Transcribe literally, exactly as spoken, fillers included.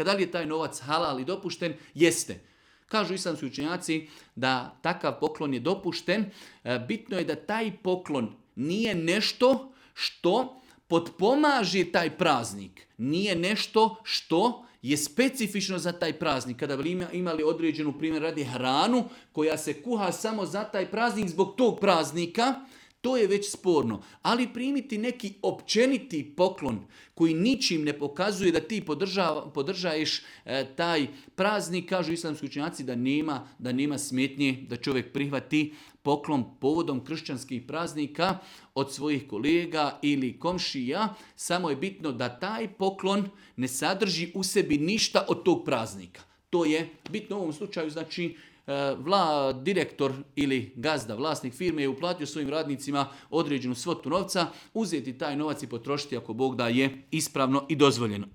Da li je taj novac halal i dopušten? Jeste. Kažu islamski učenjaci da takav poklon je dopušten. Bitno je da taj poklon nije nešto što potpomaže taj praznik. Nije nešto što je specifično za taj praznik. Kada bi imali određenu, primjer radi, hranu koja se kuha samo za taj praznik zbog tog praznika, to je već sporno. Ali primiti neki općeniti poklon koji ničim ne pokazuje da ti podržava, podržaješ e, taj praznik, kažu islamski učenjaci da nema, da nema smetnje da čovjek prihvati poklon povodom kršćanskih praznika od svojih kolega ili komšija. Samo je bitno da taj poklon ne sadrži u sebi ništa od tog praznika. To je bitno u ovom slučaju, znači Vla, direktor ili gazda, vlasnik firme je uplatio svojim radnicima određenu svotu novca, uzeti taj novac i potrošiti ako Bog da je ispravno i dozvoljeno.